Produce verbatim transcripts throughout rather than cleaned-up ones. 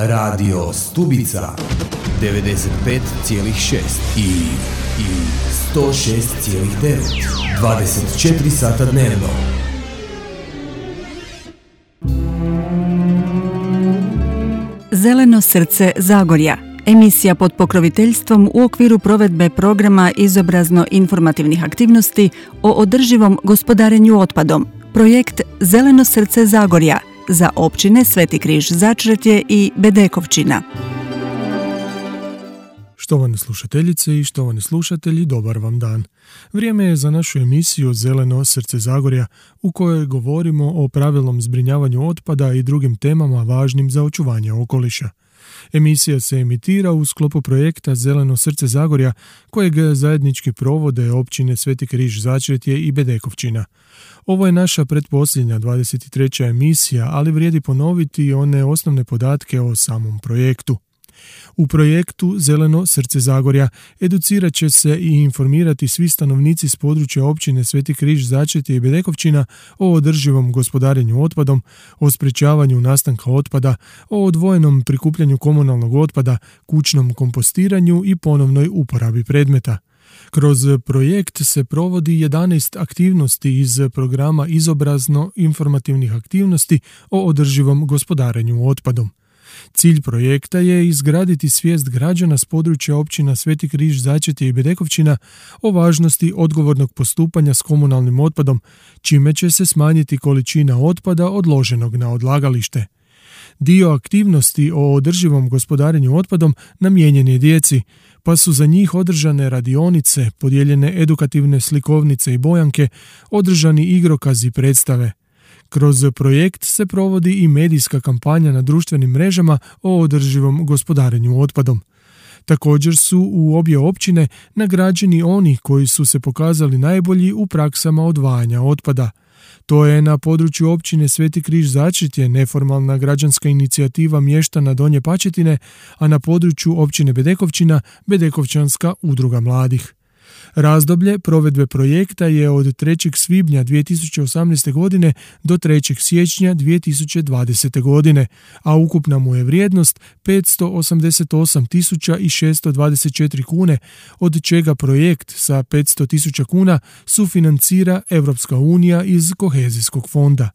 Radio Stubica devedeset pet zarez šest i, i sto šest zarez devet, dvadeset četiri sata dnevno. Zeleno srce Zagorja. Emisija pod pokroviteljstvom u okviru provedbe programa izobrazno-informativnih aktivnosti o održivom gospodarenju otpadom. Projekt Zeleno srce Zagorja za općine Sveti Križ Začretje i Bedekovčina. Štovane slušateljice i štovani slušatelji, dobar vam dan. Vrijeme je za našu emisiju Zeleno srce Zagorja, u kojoj govorimo o pravilnom zbrinjavanju otpada i drugim temama važnim za očuvanje okoliša. Emisija se emitira u sklopu projekta Zeleno srce Zagorja, kojeg zajednički provode općine Sveti Križ Začretje i Bedekovčina. Ovo je naša pretposljednja dvadeset treća emisija, ali vrijedi ponoviti one osnovne podatke o samom projektu. U projektu Zeleno srce Zagorja educirat će se i informirati svi stanovnici s područja općine Sveti Križ Začretje i Bedekovčina o održivom gospodarenju otpadom, o sprječavanju nastanka otpada, o odvojenom prikupljanju komunalnog otpada, kućnom kompostiranju i ponovnoj uporabi predmeta. Kroz projekt se provodi jedanaest aktivnosti iz programa izobrazno-informativnih aktivnosti o održivom gospodarenju otpadom. Cilj projekta je izgraditi svijest građana s područja općina Sveti Križ Začretje i Bedekovčina o važnosti odgovornog postupanja s komunalnim otpadom, čime će se smanjiti količina otpada odloženog na odlagalište. Dio aktivnosti o održivom gospodarenju otpadom namijenjen je djeci, pa su za njih održane radionice, podijeljene edukativne slikovnice i bojanke, održani igrokazi i predstave. Kroz projekt se provodi i medijska kampanja na društvenim mrežama o održivom gospodarenju otpadom. Također su u obje općine nagrađeni oni koji su se pokazali najbolji u praksama odvajanja otpada. To je na području općine Sveti Križ Začretje neformalna građanska inicijativa mještana Donje Pačetine, a na području općine Bedekovčina Bedekovčanska udruga mladih. Razdoblje provedbe projekta je od trećeg svibnja dvije tisuće osamnaeste. godine do trećeg siječnja dvije tisuće dvadesete. godine, a ukupna mu je vrijednost petsto osamdeset osam tisuća šeststo dvadeset četiri kune, od čega projekt sa petsto tisuća kuna sufinancira Europska unija iz kohezijskog fonda.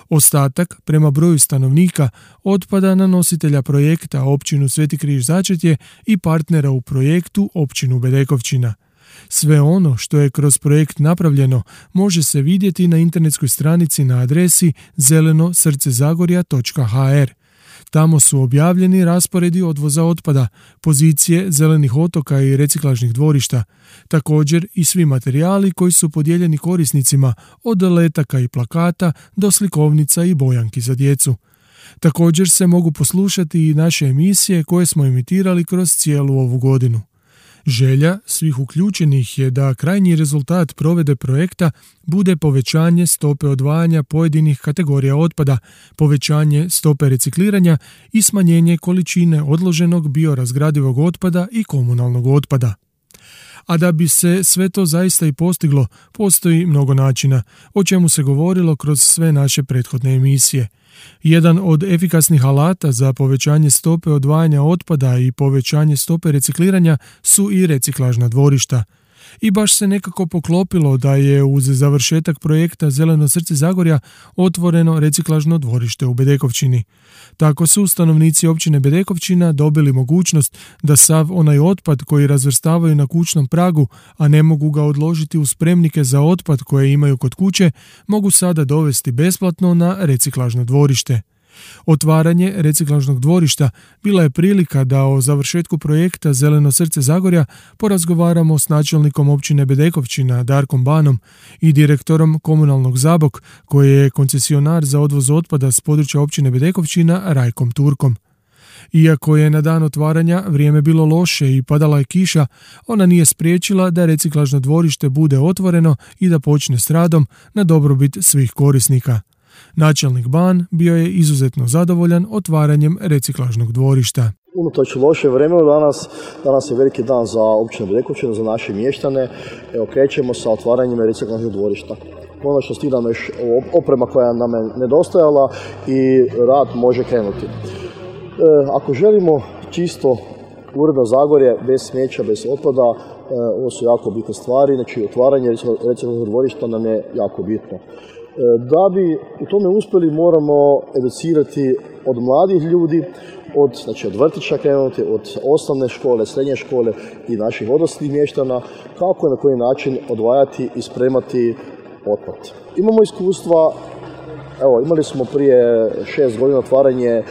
Ostatak, prema broju stanovnika, otpada na nositelja projekta općinu Sveti Križ Začretje i partnera u projektu općinu Bedekovčina. Sve ono što je kroz projekt napravljeno može se vidjeti na internetskoj stranici na adresi zeleno srce zagorja točka ha er. Tamo su objavljeni rasporedi odvoza otpada, pozicije zelenih otoka i reciklažnih dvorišta, također i svi materijali koji su podijeljeni korisnicima, od letaka i plakata do slikovnica i bojanki za djecu. Također se mogu poslušati i naše emisije koje smo emitirali kroz cijelu ovu godinu. Želja svih uključenih je da krajnji rezultat provedbe projekta bude povećanje stope odvajanja pojedinih kategorija otpada, povećanje stope recikliranja i smanjenje količine odloženog biorazgradivog otpada i komunalnog otpada. A da bi se sve to zaista i postiglo, postoji mnogo načina, o čemu se govorilo kroz sve naše prethodne emisije. Jedan od efikasnih alata za povećanje stope odvajanja otpada i povećanje stope recikliranja su i reciklažna dvorišta. I baš se nekako poklopilo da je uz završetak projekta Zeleno srce Zagorja otvoreno reciklažno dvorište u Bedekovčini. Tako su stanovnici općine Bedekovčina dobili mogućnost da sav onaj otpad koji razvrstavaju na kućnom pragu, a ne mogu ga odložiti u spremnike za otpad koje imaju kod kuće, mogu sada dovesti besplatno na reciklažno dvorište. Otvaranje reciklažnog dvorišta bila je prilika da o završetku projekta Zeleno srce Zagorja porazgovaramo s načelnikom općine Bedekovčina Darkom Banom i direktorom komunalnog Zabok, koji je koncesionar za odvoz otpada s područja općine Bedekovčina Rajkom Turkom. Iako je na dan otvaranja vrijeme bilo loše i padala je kiša, ona nije spriječila da reciklažno dvorište bude otvoreno i da počne s radom na dobrobit svih korisnika. Načelnik Ban bio je izuzetno zadovoljan otvaranjem reciklažnog dvorišta. Unatoč loše vremenu danas, danas je veliki dan za općinu Bedekovčinu, za naše mještane. Evo, krećemo sa otvaranjem reciklažnog dvorišta. Konačno stigne još oprema koja nam je nedostajala i rad može krenuti. ako želimo čisto uredno Zagorje, bez smeća, bez otpada, ovo su jako bitne stvari, znači otvaranje reciklažnog dvorišta nam je jako bitno. Da bi u tome uspjeli moramo educirati od mladih ljudi, od, znači od vrtića krenuti, od osnovne škole, srednje škole i naših odraslih mještana, kako i na koji način odvajati i spremati otpad. Imamo iskustva, evo imali smo prije šest godina otvaranje e,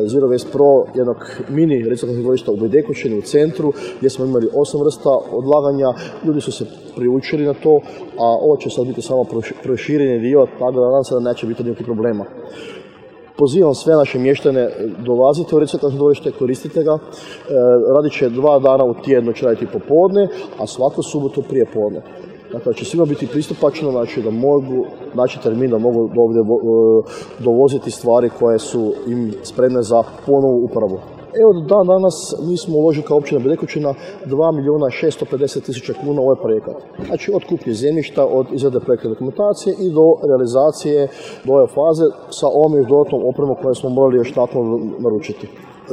Zero Waste Pro, jednog mini reciklažnog dvorišta u Bedekućini u centru, gdje smo imali osam vrsta odlaganja, ljudi su se priučili na to, a ovo će sad biti samo prošireni dio, tako da nadam se da neće biti nikakvih problema. Pozivam sve naše mještane, dolazite u reciklažno dvorište, koristite ga, e, radit će dva dana u tjednu, će raditi popodne, a svaku subotu prije podne. Dakle, će svima biti pristupačno, znači da mogu naći termin, da mogu ovdje dovoziti stvari koje su im spremne za ponovu uporabu. Evo dan danas mi smo uložili kao općina Bedekućina dva milijuna šesto pedeset tisuća kuna u ovaj projekat. Znači od kupnje zemljišta, od izrade projektne dokumentacije i do realizacije do ove faze sa ovom još dodatnom opremom koju smo morali još nakon naručiti.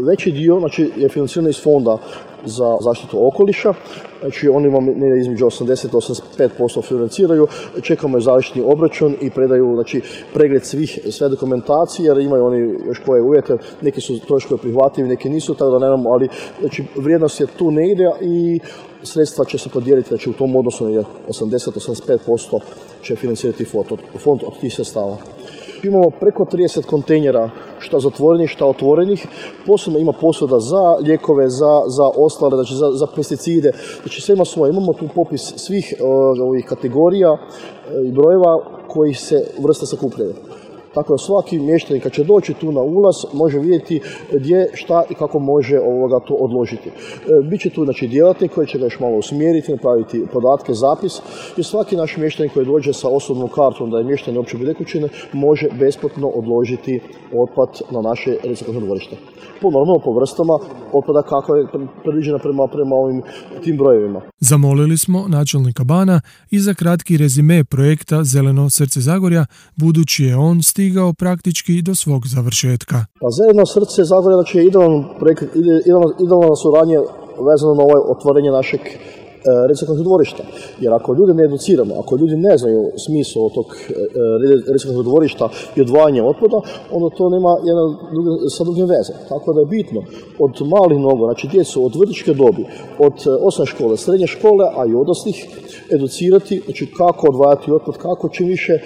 Veći dio znači, je financiran iz fonda za zaštitu okoliša, znači oni imamo između osamdeset do osamdeset pet posto financiraju, čekamo je završni obračun i predaju znači, pregled svih, sve dokumentacije, jer imaju oni još koje uvjete, neki su troškovi prihvatljivi, neki nisu, tako da nemamo, ali znači, vrijednost je tu negdje i sredstva će se podijeliti, znači u tom odnosu je osamdeset do osamdeset pet posto će financirati fond od, fond od tih sredstava. Imamo preko trideset kontejnera, šta zatvorenih, šta otvorenih. Posebno ima posuda za lijekove, za, za ostale, znači za, za pesticide. Znači sve ima svoje. Imamo tu popis svih uh, ovih kategorija uh, i brojeva koji se vrste sakupljaju. Tako da svaki mještanin kad će doći tu na ulaz može vidjeti gdje, šta i kako može ovoga to odložiti. E, Biće tu znači, djelatnik koji će ga još malo usmjeriti, napraviti podatke, zapis i svaki naš mještanin koji dođe sa osobnom kartom da je mještanin opće Bedekućine može besplatno odložiti otpad na naše reciklažno dvorište. Po normalno po vrstama otpada kako je predviđena prema, prema ovim tim brojevima. Zamolili smo načelnika Bana i za kratki rezime projekta Zeleno srce Zagorja, budući je on stigao praktički do svog završetka. Pa Zeleno srce Zagorja znači, je idealan projekt, idealna suradnja vezano na ovo otvorenje našeg e, reciklažnog dvorišta. Jer ako ljudi ne educiramo, ako ljudi ne znaju smisao tog e, reciklažnog dvorišta i odvajanja otpada, onda to nema jedna druga, sa drugim veze. Tako da je bitno od malih nogu, znači djecu od vrtićke dobi, od osnovne škole, srednje škole, a i odraslih, educirati, znači kako odvajati otpad, kako čim više e,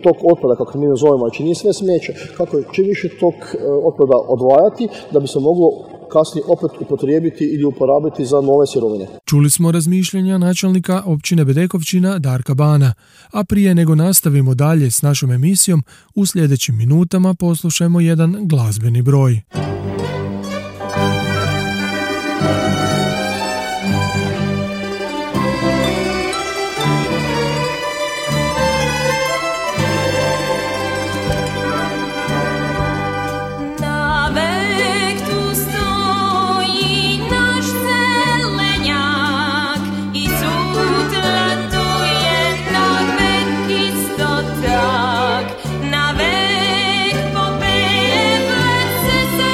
tog otpada, kako mi nazovemo, znači nije sve smeće, kako čim više tog e, otpada odvajati, da bi se moglo kasnije opet upotrijebiti ili uporabiti za nove sirovine. Čuli smo razmišljanja načelnika općine Bedekovčina Darka Bana, a prije nego nastavimo dalje s našom emisijom, u sljedećim minutama poslušajmo jedan glazbeni broj. Na vek popije plece se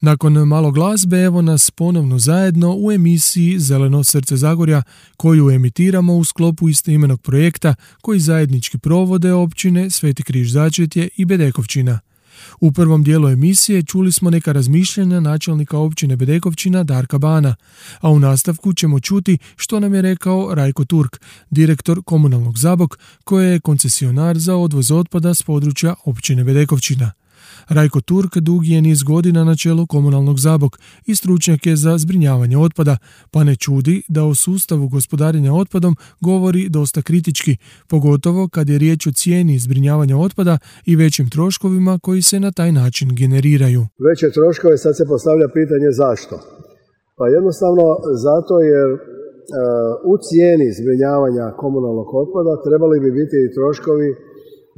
Nakon malo glazbe, evo nas ponovno zajedno u emisiji Zeleno srce Zagorja, koju emitiramo u sklopu istoimenog projekta koji zajednički provode općine Sveti Križ Začetje i Bedekovčina. U prvom dijelu emisije čuli smo neka razmišljanja načelnika općine Bedekovčina Darka Bana, a u nastavku ćemo čuti što nam je rekao Rajko Turk, direktor komunalnog Zabok, koji je koncesionar za odvoz otpada s područja općine Bedekovčina. Rajko Turk dugi je niz godina na čelu komunalnog Zabok i stručnjak je za zbrinjavanje otpada, pa ne čudi da o sustavu gospodarenja otpadom govori dosta kritički, pogotovo kad je riječ o cijeni zbrinjavanja otpada i većim troškovima koji se na taj način generiraju. Veće troškove, sad se postavlja pitanje zašto. Pa jednostavno zato jer e, u cijeni zbrinjavanja komunalnog otpada trebali bi biti i troškovi,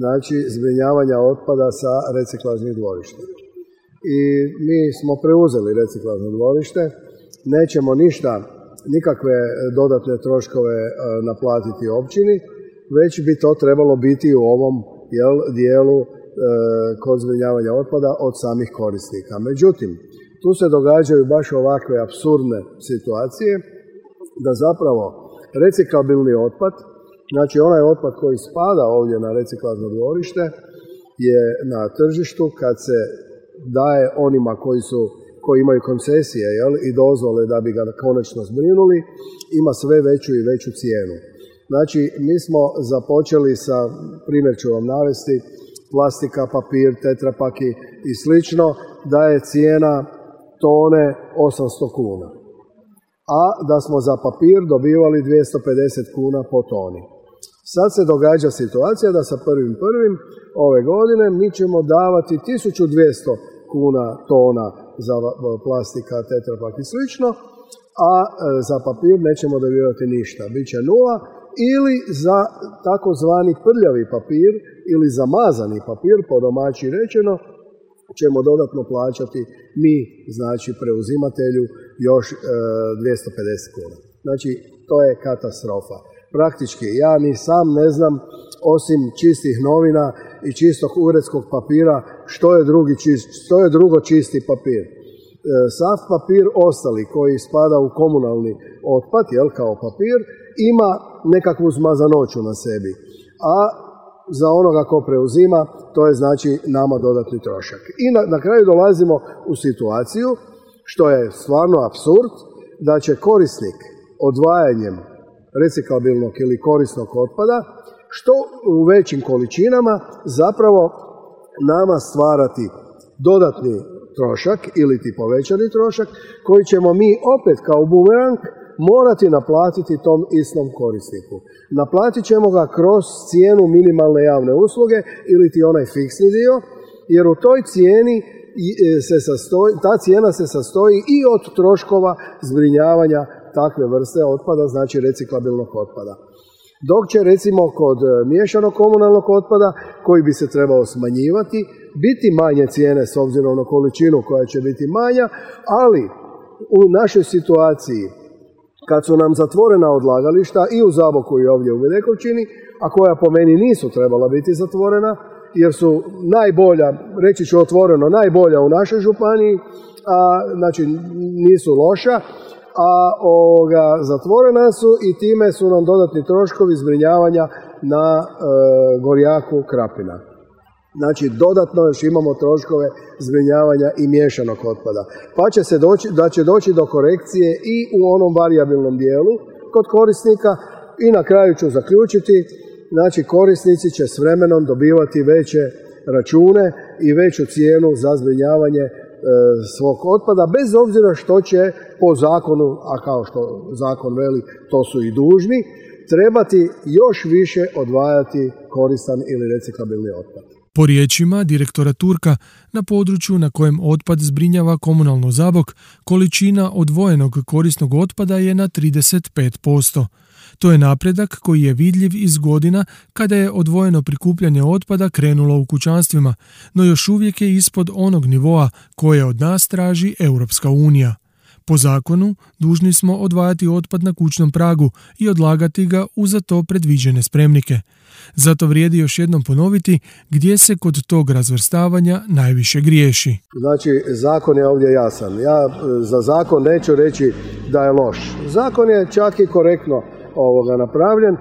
znači zbrinjavanja otpada sa reciklažnih dvorišta. I mi smo preuzeli reciklažno dvorište, nećemo ništa, nikakve dodatne troškove e, naplatiti općini, već bi to trebalo biti u ovom jel, dijelu e, kod zbrinjavanja otpada od samih korisnika. Međutim, tu se događaju baš ovakve apsurdne situacije da zapravo reciklabilni otpad, znači onaj otpad koji spada ovdje na reciklažno dvorište, je na tržištu kad se daje onima koji su koji imaju koncesije jel, i dozvole da bi ga konačno zbrinuli, ima sve veću i veću cijenu. Znači, mi smo započeli sa, primjer ću vam navesti, plastika, papir, tetrapaki i slično, da je cijena tone osamsto kuna. A da smo za papir dobivali dvjesto pedeset kuna po toni. Sad se događa situacija da sa prvim prvim ove godine mi ćemo davati tisuću dvjesto kuna tona za plastika, tetrapak i slično, a za papir nećemo dobivati ništa, bit će nula, ili za takozvani prljavi papir ili zamazani papir, po domaći rečeno, ćemo dodatno plaćati mi, znači preuzimatelju, još e, dvjesto pedeset kuna. Znači, to je katastrofa. Praktički, ja ni sam ne znam, osim čistih novina i čistog uredskog papira, što je, drugi čist, što je drugo čisti papir. E, sav papir ostali koji spada u komunalni otpad, jel, kao papir, ima nekakvu zmazanoću na sebi. A za onoga ko preuzima, to je znači nama dodatni trošak. I na, na kraju dolazimo u situaciju, što je stvarno apsurd, da će korisnik odvajanjem reciklabilnog ili korisnog otpada, što u većim količinama zapravo nama stvarati dodatni trošak ili ti povećani trošak, koji ćemo mi opet kao bumerang morati naplatiti tom istom korisniku. Naplatit ćemo ga kroz cijenu minimalne javne usluge ili ti onaj fiksni dio, jer u toj cijeni se sastoji, ta cijena se sastoji i od troškova zbrinjavanja takve vrste otpada, znači reciklabilnog otpada. Dok će recimo kod miješanog komunalnog otpada, koji bi se trebao smanjivati, biti manje cijene s obzirom na količinu koja će biti manja, ali u našoj situaciji kad su nam zatvorena odlagališta i u Zaboku i ovdje u Bedekovčini, a koja po meni nisu trebala biti zatvorena, jer su najbolja, reći ću otvoreno, najbolja u našoj županiji, a, znači nisu loša, a ovoga, zatvorena su i time su nam dodatni troškovi zbrinjavanja na e, Gorjaku Krapina. Znači, dodatno još imamo troškove zbrinjavanja i miješanog otpada. Pa će se doći, da će doći do korekcije i u onom varijabilnom dijelu kod korisnika i na kraju ću zaključiti, znači korisnici će s vremenom dobivati veće račune i veću cijenu za zbrinjavanje e, svog otpada, bez obzira što će po zakonu, a kao što zakon veli, to su i dužni, trebati još više odvajati koristan ili reciklabilni otpad. Po riječima direktora Turka, na području na kojem otpad zbrinjava komunalno Zabok, količina odvojenog korisnog otpada je na trideset pet posto. To je napredak koji je vidljiv iz godina kada je odvojeno prikupljanje otpada krenulo u kućanstvima, no još uvijek je ispod onog nivoa koje od nas traži Europska unija. Po zakonu dužni smo odvajati otpad na kućnom pragu i odlagati ga u za to predviđene spremnike. Zato vrijedi još jednom ponoviti gdje se kod tog razvrstavanja najviše griješi. Znači, zakon je ovdje jasan. Ja za zakon neću reći da je loš. Zakon je čak i korektno ovoga napravljen.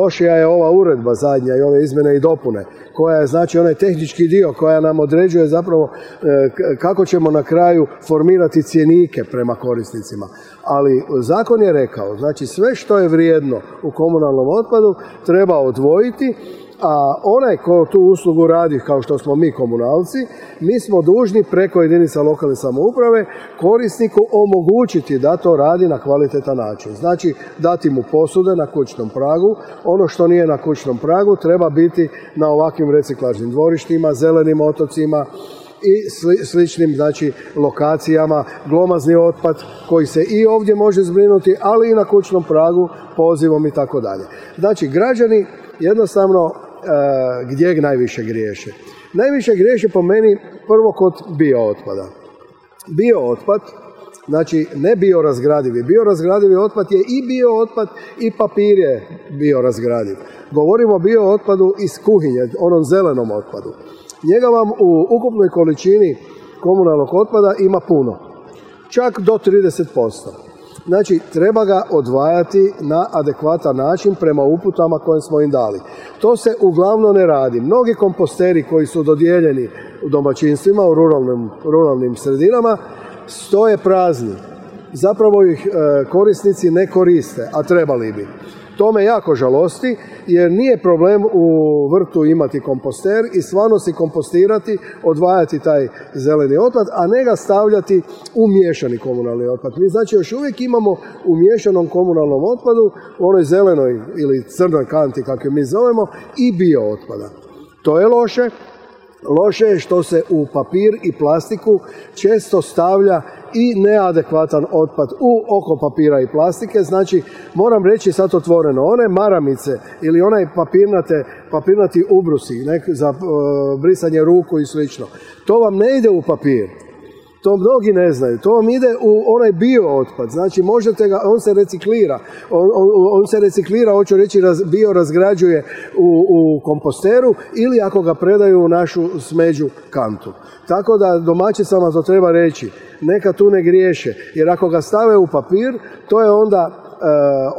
Lošija je ova uredba zadnja i ove izmjene i dopune, koja je znači onaj tehnički dio koja nam određuje zapravo kako ćemo na kraju formirati cjenike prema korisnicima. Ali zakon je rekao, znači sve što je vrijedno u komunalnom otpadu treba odvojiti, a onaj ko tu uslugu radi, kao što smo mi komunalci, mi smo dužni preko jedinica lokalne samouprave korisniku omogućiti da to radi na kvalitetan način. Znači, dati mu posude na kućnom pragu, ono što nije na kućnom pragu treba biti na ovakvim reciklažnim dvorištima, zelenim otocima i sli, sličnim znači, lokacijama, glomazni otpad koji se i ovdje može zbrinuti, ali i na kućnom pragu, pozivom i tako dalje. Znači, građani jednostavno e, gdje najviše griješe? Najviše griješe po meni prvo kod biootpada. Biootpad, znači ne biorazgradivi. Biorazgradivi otpad je i biootpad i papir je biorazgradiv. Govorimo o biootpadu iz kuhinje, onom zelenom otpadu. Njega vam u ukupnoj količini komunalnog otpada ima puno, čak do trideset posto. Znači, treba ga odvajati na adekvatan način prema uputama koje smo im dali. To se uglavnom ne radi. Mnogi komposteri koji su dodijeljeni u domaćinstvima, u ruralnim, ruralnim sredinama, stoje prazni. Zapravo ih e, korisnici ne koriste, a trebali bi. To me jako žalosti, jer nije problem u vrtu imati komposter i stvarno si kompostirati, odvajati taj zeleni otpad, a ne ga stavljati u miješani komunalni otpad. Mi znači još uvijek imamo u miješanom komunalnom otpadu, u onoj zelenoj ili crnoj kanti, kako mi zovemo, i bio otpada. To je loše. Loše je što se u papir i plastiku često stavlja i neadekvatan otpad u oko papira i plastike. Znači, moram reći sad otvoreno, one maramice ili onaj papirnate, papirnati ubrusi nek, za uh, brisanje ruku i slično, to vam ne ide u papir. To mnogi ne znaju. To vam ide u onaj bio otpad. Znači, možete ga, on se reciklira. On, on, on se reciklira, hoću reći, raz, bio razgrađuje u, u komposteru ili ako ga predaju u našu smeđu kantu. Tako da domaćicama to treba reći. Neka tu ne griješe. Jer ako ga stave u papir, to je onda e,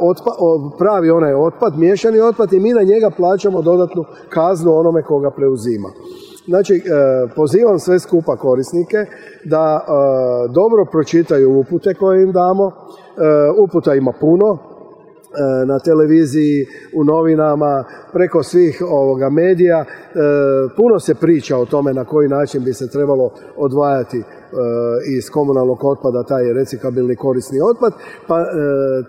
otpa, o, pravi onaj otpad, miješani otpad i mi na njega plaćamo dodatnu kaznu onome koga preuzima. Znači, pozivam sve skupa korisnike da dobro pročitaju upute koje im damo. Uputa ima puno, na televiziji, u novinama, preko svih ovoga medija. Puno se priča o tome na koji način bi se trebalo odvajati iz komunalnog otpada taj reciklabilni korisni otpad, pa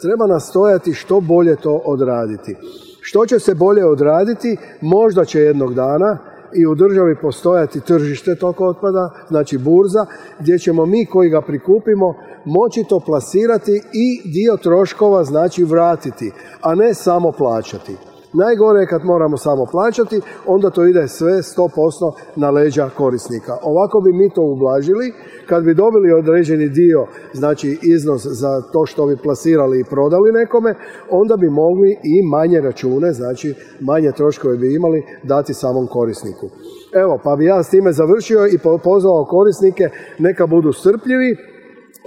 treba nastojati što bolje to odraditi. Što će se bolje odraditi, možda će jednog dana i u državi postojati tržište tog otpada, znači burza, gdje ćemo mi koji ga prikupimo moći to plasirati i dio troškova znači vratiti, a ne samo plaćati. Najgore je kad moramo samo plaćati, onda to ide sve sto posto na leđa korisnika. Ovako bi mi to ublažili, kad bi dobili određeni dio, znači iznos za to što bi plasirali i prodali nekome, onda bi mogli i manje račune, znači manje troškove bi imali dati samom korisniku. Evo, pa bi ja s time završio i pozvao korisnike neka budu strpljivi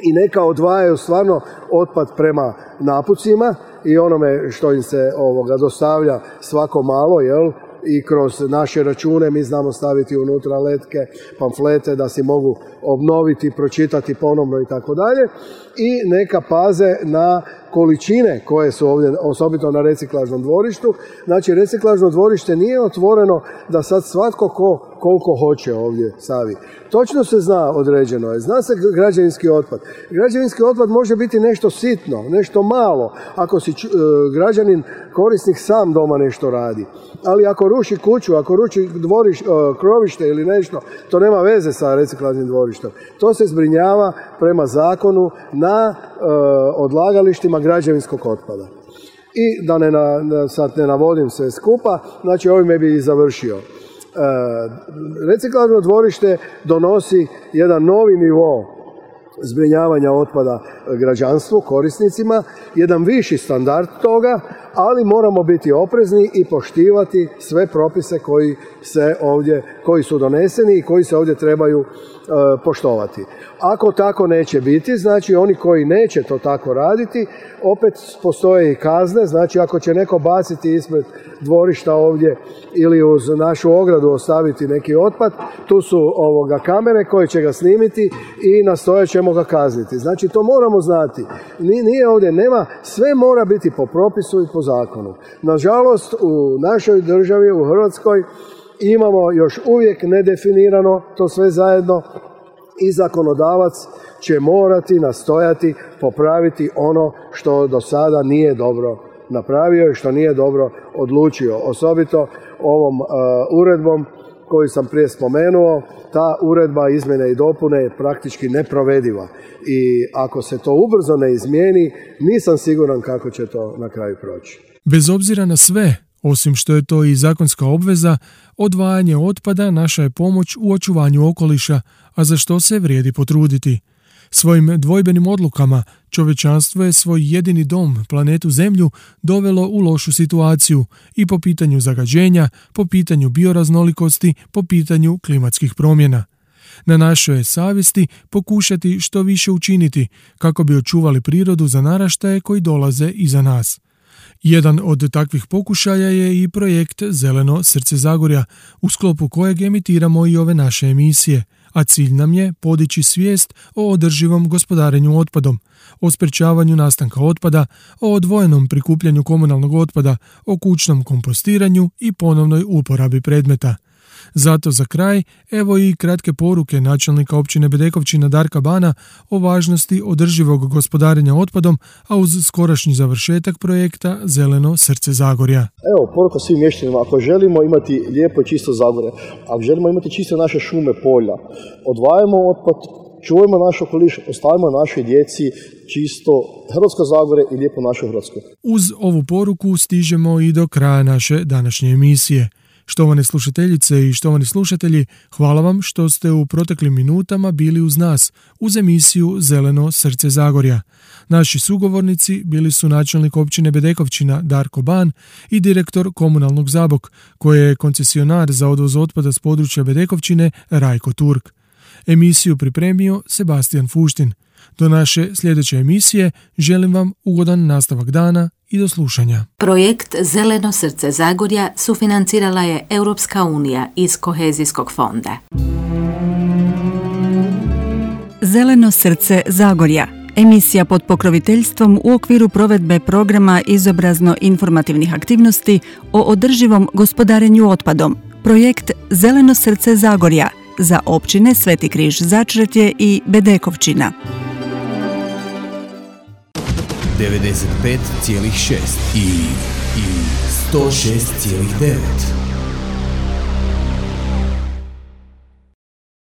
i neka odvajaju stvarno otpad prema napucima i onome što im se ovoga dostavlja svako malo, jel? I kroz naše račune mi znamo staviti unutra letke, pamflete da si mogu obnoviti, pročitati ponovno i tako dalje. I neka paze na količine koje su ovdje, osobito na reciklažnom dvorištu. Znači, reciklažno dvorište nije otvoreno da sad svatko ko koliko hoće ovdje stavi. Točno se zna, određeno je. Zna se građevinski otpad. Građevinski otpad može biti nešto sitno, nešto malo, ako si uh, građanin, korisnik sam doma nešto radi. Ali ako ruši kuću, ako ruši dvoriš, uh, krovište ili nešto, to nema veze sa reciklažnim dvorištem. To se zbrinjava prema zakonu na uh, odlagalištima građevinskog otpada. I da ne na, sad ne navodim sve skupa, znači ovime bi i završio. E, reciklažno dvorište donosi jedan novi nivo zbrinjavanja otpada građanstvu, korisnicima, jedan viši standard toga, ali moramo biti oprezni i poštivati sve propise koji se ovdje, koji su doneseni i koji se ovdje trebaju e, poštovati. Ako tako neće biti, znači oni koji neće to tako raditi, opet postoje i kazne, znači ako će neko baciti ispred dvorišta ovdje ili uz našu ogradu ostaviti neki otpad, tu su ovoga kamere koje će ga snimiti i nastojat ćemo ga kazniti. Znači to moramo znati. Nije ovdje, nema, sve mora biti po propisu i po zakonu. Nažalost, u našoj državi, u Hrvatskoj, imamo još uvijek nedefinirano to sve zajedno i zakonodavac će morati nastojati popraviti ono što do sada nije dobro napravio i što nije dobro odlučio. Osobito ovom uh, uredbom koju sam prije spomenuo, ta uredba izmjene i dopune je praktički neprovediva. I ako se to ubrzo ne izmijeni, nisam siguran kako će to na kraju proći. Bez obzira na sve, osim što je to i zakonska obveza, odvajanje otpada naša je pomoć u očuvanju okoliša, a za što se vrijedi potruditi. Svojim dvojbenim odlukama čovječanstvo je svoj jedini dom, planetu Zemlju, dovelo u lošu situaciju i po pitanju zagađenja, po pitanju bioraznolikosti, po pitanju klimatskih promjena. Na našoj je savjesti pokušati što više učiniti kako bi očuvali prirodu za naraštaje koji dolaze iza nas. Jedan od takvih pokušaja je i projekt Zeleno srce Zagorja, u sklopu kojeg emitiramo i ove naše emisije, a cilj nam je podići svijest o održivom gospodarenju otpadom, o sprečavanju nastanka otpada, o odvojenom prikupljanju komunalnog otpada, o kućnom kompostiranju i ponovnoj uporabi predmeta. Zato za kraj, evo i kratke poruke načelnika općine Bedekovčina Darka Bana o važnosti održivog gospodarenja otpadom, a uz skorašnji završetak projekta Zeleno srce Zagorja. Evo, poruka svim mještanima, ako želimo imati lijepo i čisto Zagorje, ako želimo imati čiste naše šume, polja, odvajamo otpad, čuvajmo naš okoliš, ostavimo našoj djeci čisto Hrvatsko Zagorje i lijepo našu Hrvatsku. Uz ovu poruku stižemo i do kraja naše današnje emisije. Štovane slušateljice i štovani slušatelji, hvala vam što ste u proteklim minutama bili uz nas, uz emisiju Zeleno srce Zagorja. Naši sugovornici bili su načelnik općine Bedekovčina Darko Ban i direktor komunalnog Zabok, koji je koncesionar za odvoz otpada s područja Bedekovčine Rajko Turk. Emisiju pripremio Sebastian Fuštin. Do naše sljedeće emisije želim vam ugodan nastavak dana i do slušanja. Projekt Zeleno srce Zagorja sufinancirala je Europska unija iz Kohezijskog fonda. Zeleno srce Zagorja. Emisija pod pokroviteljstvom u okviru provedbe programa izobrazno-informativnih aktivnosti o održivom gospodarenju otpadom. Projekt Zeleno srce Zagorja za općine Sveti Križ Začretje i Bedekovčina. devedeset pet zarez šest i, i sto šest zarez devet.